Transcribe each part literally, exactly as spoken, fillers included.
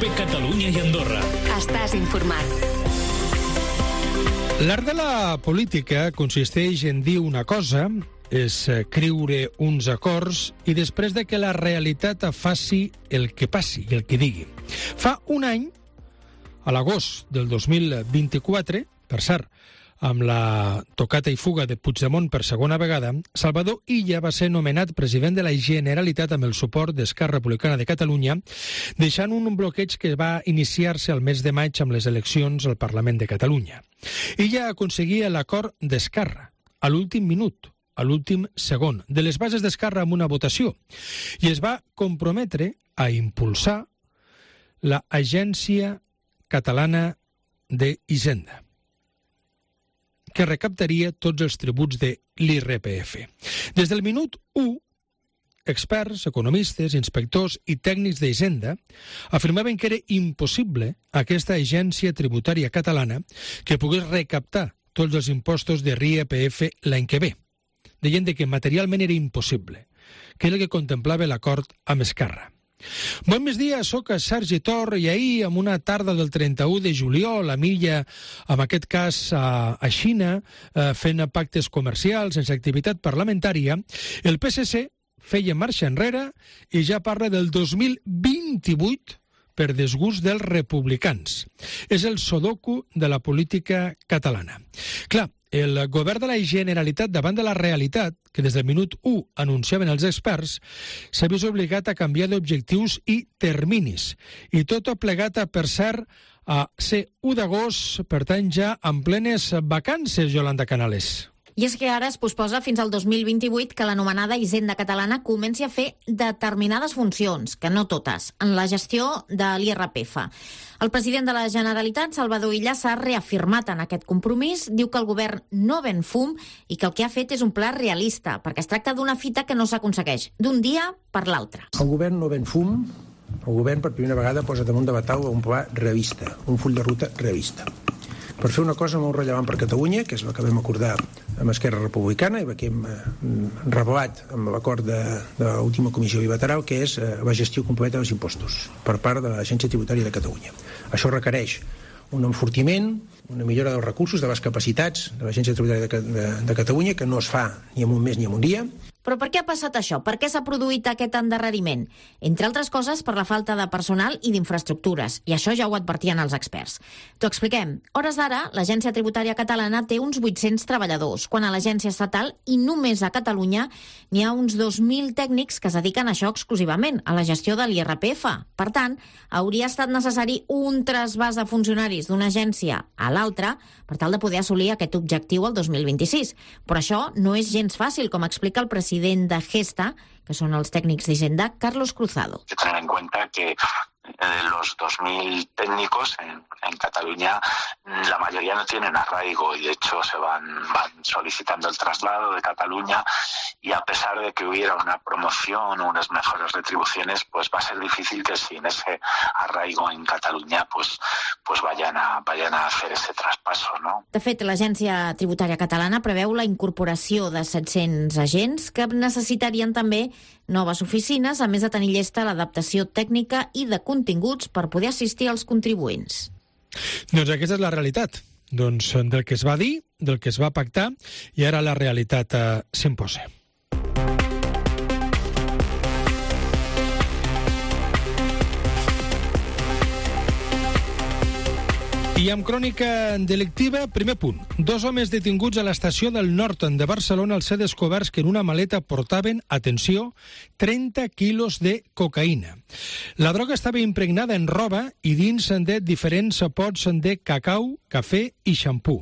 COPE Catalunya i Andorra. Estàs informat. L'art de la política consisteix en dir una cosa, escriure uns acords i després de que la realitat faci el que passi i el que digui. Fa un any, a l'agost del dos mil vint-i-quatre, per cert, amb la tocata i fuga de Puigdemont per segona vegada, Salvador Illa va ser nomenat president de la Generalitat amb el suport d'Esquerra Republicana de Catalunya, deixant un bloqueig que va iniciar-se al mes de maig amb les eleccions al Parlament de Catalunya. Illa aconseguia l'acord d'Esquerra, a l'últim minut, a l'últim segon, de les bases d'Esquerra amb una votació, i es va comprometre a impulsar l'Agència Catalana d'Hisenda, que recaptaria tots els tributs de l'I R P F. Des del minut u, experts, economistes, inspectors i tècnics d'Hisenda afirmaven que era impossible aquesta agència tributària catalana que pogués recaptar tots els impostos de l'I R P F l'any que ve. Deien que materialment era impossible, que era el que contemplava l'acord amb Esquerra. Bon migdia, soc Sergi Tor i ahir, en una tarda del trenta-u de juliol, a Milla, en aquest cas a, a Xina, eh, fent pactes comercials, sense activitat parlamentària, el P S C feia marxa enrere i ja parla del dos mil vint-i-vuit per desgust dels republicans. És el sudoku de la política catalana. Clar, el govern de la Generalitat, davant de la realitat, que des del minut u anunciaven els experts, s'ha vist obligat a canviar d'objectius i terminis. I tot ha plegat, per cert, a ser u d'agost, per tant ja en plenes vacances, Yolanda Canales. I és que ara es posposa fins al dos mil vint-i-vuit que l'anomenada Hisenda Catalana comenci a fer determinades funcions, que no totes, en la gestió de l'I R P F. El president de la Generalitat, Salvador Illa, s'ha reafirmat en aquest compromís, diu que el govern no ven fum i que el que ha fet és un pla realista, perquè es tracta d'una fita que no s'aconsegueix d'un dia per l'altre. El govern no ven fum, el govern per primera vegada posa damunt de la taula un pla realista, un full de ruta realista, per fer una cosa molt rellevant per Catalunya, que és la que vam acordar amb Esquerra Republicana i que hem revelat amb l'acord de, de l'última comissió bilateral, que és la gestió completa dels impostos per part de l'Agència Tributària de Catalunya. Això requereix un enfortiment, una millora dels recursos, de les capacitats de l'Agència Tributària de, de, de Catalunya, que no es fa ni en un mes ni en un dia. Però per què ha passat això? Per què s'ha produït aquest endarreriment? Entre altres coses, per la falta de personal i d'infraestructures. I això ja ho advertien els experts. T'ho expliquem. Hores d'ara, l'Agència Tributària Catalana té uns vuit-cents treballadors, quan a l'Agència Estatal, i només a Catalunya, n'hi ha uns dos mil tècnics que es dediquen a això exclusivament, a la gestió de l'I R P F. Per tant, hauria estat necessari un trasbàs de funcionaris d'una agència a l'altra per tal de poder assolir aquest objectiu el dos mil vint-i-sis. Però això no és gens fàcil, com explica el president president de Gesta, que son los técnicos de Hisenda, Carlos Cruzado. Hay que tener en cuenta que eh, los dos mil técnicos en, en Cataluña, la mayoría no tienen arraigo y de hecho se van, van solicitando el traslado de Cataluña, y a pesar de que hubiera una promoción o unas mejores retribuciones, pues va a ser difícil que sin ese arraigo en Cataluña pues, pues vayan, a, vayan a hacer ese traspaso, ¿no? De fet, l'Agència Tributària Catalana preveu la incorporació de set-cents agents que necessitarien també noves oficines, a més de tenir llesta l'adaptació tècnica i de continguts per poder assistir als contribuents. Doncs aquesta és la realitat. Doncs del que es va dir, del que es va pactar, i ara la realitat eh, s'imposa. I amb crònica delictiva, primer punt. Dos homes detinguts a l'estació del Nord de Barcelona al ser descoberts que en una maleta portaven, atenció, trenta quilos de cocaïna. La droga estava impregnada en roba i dins de diferents pots de cacau, cafè i xampú.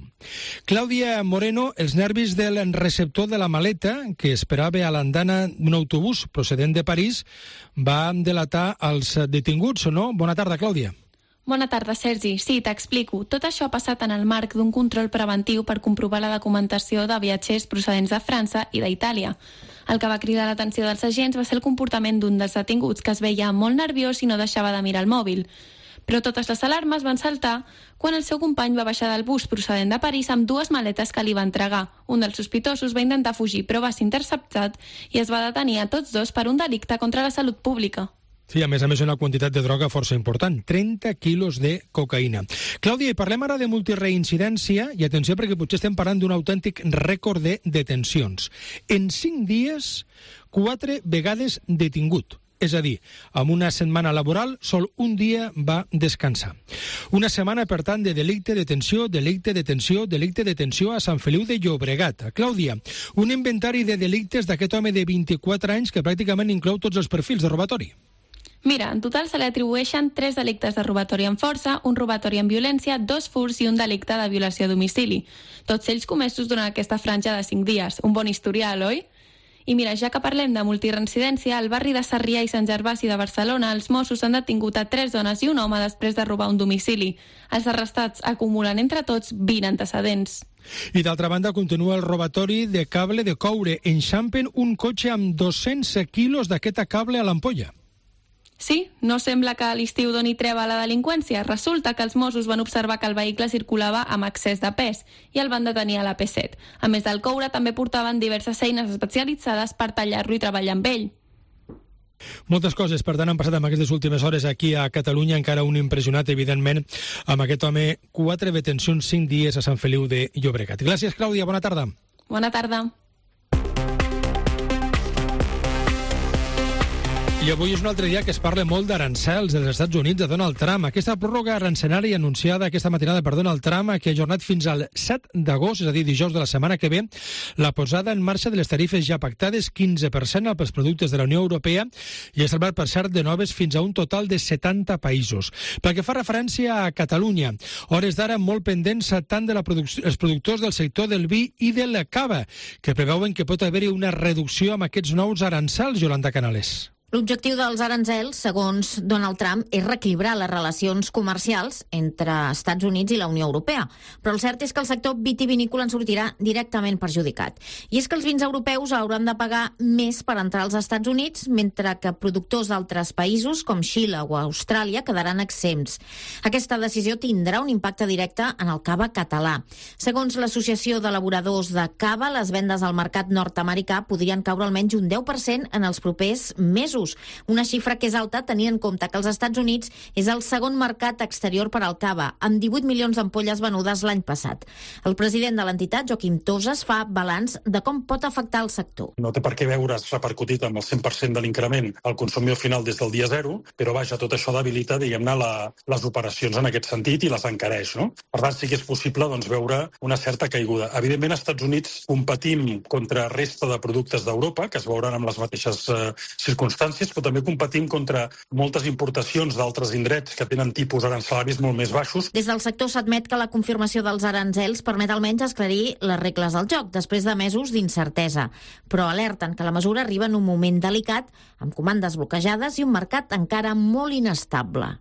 Clàudia Moreno, els nervis del receptor de la maleta, que esperava a l'andana d'un autobús procedent de París, va delatar els detinguts, o no? Bona tarda, Clàudia. Bona tarda, Sergi. Sí, t'explico. Tot això ha passat en el marc d'un control preventiu per comprovar la documentació de viatgers procedents de França i d'Itàlia. El que va cridar l'atenció dels agents va ser el comportament d'un dels detinguts, que es veia molt nerviós i no deixava de mirar el mòbil. Però totes les alarmes van saltar quan el seu company va baixar del bus procedent de París amb dues maletes que li va entregar. Un dels sospitosos va intentar fugir, però va ser interceptat i es va detenir a tots dos per un delicte contra la salut pública. Sí, a més a més una quantitat de droga força important, trenta quilos de cocaïna. Clàudia, i parlem ara de multireincidència, i atenció perquè potser estem parlant d'un autèntic rècord de detencions. En cinc dies, quatre vegades detingut. És a dir, amb una setmana laboral, sol un dia va descansar. Una setmana, per tant, de delicte, detenció, delicte, detenció, delicte, detenció a Sant Feliu de Llobregat. Clàudia, un inventari de delictes d'aquest home de vint-i-quatre anys que pràcticament inclou tots els perfils de robatori. Mira, en total se li atribueixen tres delictes de robatori amb força, un robatori amb violència, dos furts i un delicte de violació a domicili. Tots ells comesos durant aquesta franja de cinc dies. Un bon historial, oi? I mira, ja que parlem de multireincidència, al barri de Sarrià i Sant Gervasi de Barcelona, els Mossos han detingut a tres dones i un home després de robar un domicili. Els arrestats acumulen entre tots vint antecedents. I d'altra banda continua el robatori de cable de coure. Enxampen un cotxe amb dos-cents quilos d'aquest cable a l'ampolla. Sí, no sembla que a l'estiu doni treva a la delinqüència. Resulta que els Mossos van observar que el vehicle circulava amb excés de pes i el van detenir a l'A P set. A més del coure, també portaven diverses eines especialitzades per tallar-lo i treballar amb ell. Moltes coses, per tant, han passat en aquestes últimes hores aquí a Catalunya, encara un impressionat, evidentment, amb aquest home, quatre detencions, cinc dies a Sant Feliu de Llobregat. Gràcies, Clàudia, bona tarda. Bona tarda. I avui és un altre dia que es parla molt d'arancels dels Estats Units de Donald Trump. Aquesta pròrroga arancelària anunciada aquesta matinada per Donald Trump, que ha ajornat fins al set d'agost, és a dir, dijous de la setmana que ve, la posada en marxa de les tarifes ja pactades, quinze per cent pels productes de la Unió Europea, i ha salvat, per cert, de noves fins a un total de setanta països. Pel que fa referència a Catalunya, hores d'ara molt pendents tant de la produc- els productors del sector del vi i de la cava, que preveuen que pot haver-hi una reducció amb aquests nous arancels, Yolanda Canales. L'objectiu dels aranzels, segons Donald Trump, és reequilibrar les relacions comercials entre Estats Units i la Unió Europea. Però el cert és que el sector vitivinícola en sortirà directament perjudicat. I és que els vins europeus hauran de pagar més per entrar als Estats Units, mentre que productors d'altres països, com Xile o Austràlia, quedaran exempts. Aquesta decisió tindrà un impacte directe en el cava català. Segons l'Associació d'Elaboradors de Cava, les vendes al mercat nord-americà podrien caure almenys un deu per cent en els propers mesos. Una xifra que és alta tenint en compte que els Estats Units és el segon mercat exterior per al cava, amb divuit milions d'ampolles venudes l'any passat. El president de l'entitat, Joaquim Toses, fa balanç de com pot afectar el sector. No té per què veure's repercutit amb el cent per cent de l'increment al consumidor final des del dia zero, però vaja, tot això debilita, diguem-ne, la, les operacions en aquest sentit i les encareix, no? Per tant, sí que és possible doncs, veure una certa caiguda. Evidentment, als Estats Units competim contra resta de productes d'Europa, que es veuran amb les mateixes eh, circumstàncies, però també competim contra moltes importacions d'altres indrets que tenen tipus arancelaris molt més baixos. Des del sector s'admet que la confirmació dels arancels permet almenys esclarir les regles del joc, després de mesos d'incertesa. Però alerten que la mesura arriba en un moment delicat, amb comandes bloquejades i un mercat encara molt inestable.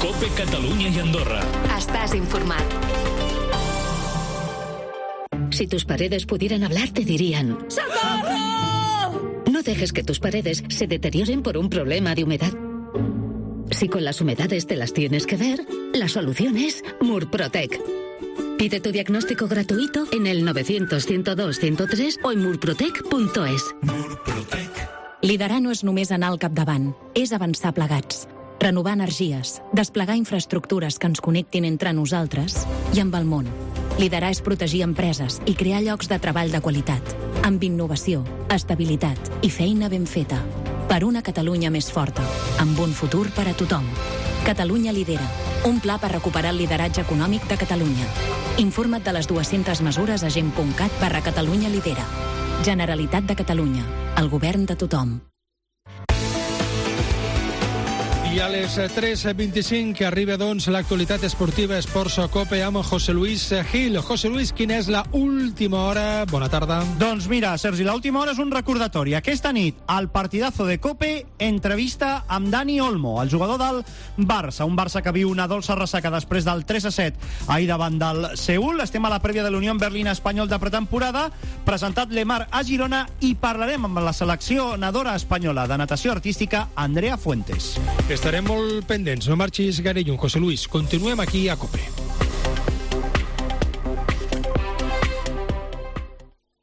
COPE Catalunya i Andorra. Estàs informat. Si tus paredes pudieran hablar, te dirían: ¡Socorro! No dejes que tus paredes se deterioren por un problema de humedad. Si con las humedades te las tienes que ver, la solución es Murprotec. Pide tu diagnóstico gratuito en el novecientos, ciento dos, ciento tres o en murprotec punto es. Murprotec. Liderar no és només anar al capdavant, és avançar plegats. Renovar energies, desplegar infraestructures que ens connectin entre nosaltres i amb el món. Liderar és protegir empreses i crear llocs de treball de qualitat, amb innovació, estabilitat i feina ben feta. Per una Catalunya més forta, amb un futur per a tothom. Catalunya lidera, un pla per recuperar el lideratge econòmic de Catalunya. Informa't de les dues-centes mesures a gent punt cat barra Catalunya lidera. Generalitat de Catalunya, el govern de tothom. I a les tres vint-i-cinc que arriba, doncs, l'actualitat esportiva Esports Cope amb José Luis Gil. José Luis, quina és la última hora? Bona tarda. Doncs mira, Sergi, la última hora és un recordatori. Aquesta nit, al partidazo de Cope, entrevista amb Dani Olmo, el jugador del Barça. Un Barça que viu una dolça ressaca després del tres a set ahir davant del Seül. Estem a la prèvia de l'Unió Berlín Espanyol de pretemporada. Presentat Lemar a Girona i parlarem amb la seleccionadora espanyola de natació artística, Andrea Fuentes. Estarem molt pendents, no marxis gaire lluny, José Luis. Continuem aquí a COPE.